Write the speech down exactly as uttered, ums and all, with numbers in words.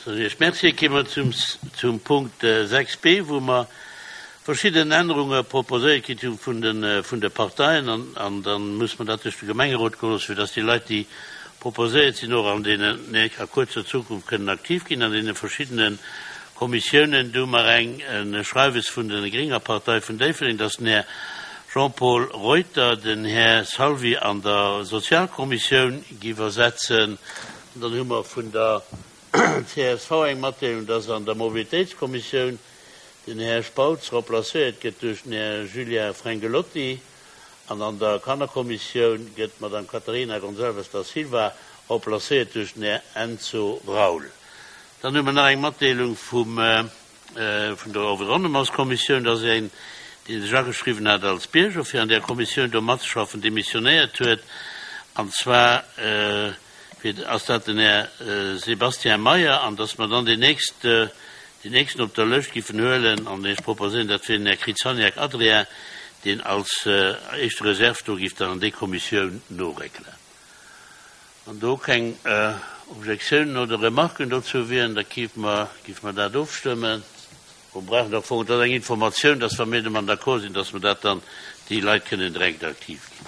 Soen Iech Merci. Kéime mer zum, zum Punkt sechs b, wou mer verschidden Ännerunge proposéiert kritt hu vun de, vun de Parteien. An, an da muss mer dat duerch de Gemengerot goe loossen, fir dass déi Leit, déi proposéiert sinn, och an deenen, a kuerzer Zukunft kënnen aktiv ginn an deene verschiddene Kommissiounen. Do hu mer eng, e Schreiwes vun der Grénger Partei vun Déifferdeng, dass den Här Jean-Paul Reuter den Här Salvi an der Sozialkommissioun giff ersetzen. An dann hu mer vun der C S V eng Matdeelung, dass an der Mobilitéitskommissioun den Här Spautz remplacéiert gëtt duerch den Här Julien Frengelotti, an an der Kannerkommissioun gëtt d'Madame Catarina Gonçalves da Silva remplacéiert duerch den Här Enzo Raul. Dann hu mer nach eng Matdeelung vum, vun der Environnementskommissioun, dass een, dee sech ageschriwwen hat als Bierger, fir an där Kommissioun do matzeschaffen, demissionéiert huet, an zwar ass dat den Här Sébastien Meyer, an dass mer dann deen nächste, deen nächsten op der Lëscht giffen huelen, an ech proposéieren, dat wier den Här Krzyzaniak Adrien, deen als éischte Reserve do giff dann an déi Kommissioun noréckelen. Wann do keng Objektiounen oder Remarken dozou wieren, da giff mer, giff mer dat ofstëmmen. Bon, brauchen am Fong, dat ass eng Informatioun, dass wa mir domat d'accord sinn, dass mer dat dann, déi Leit kënnen direkt aktiv ginn.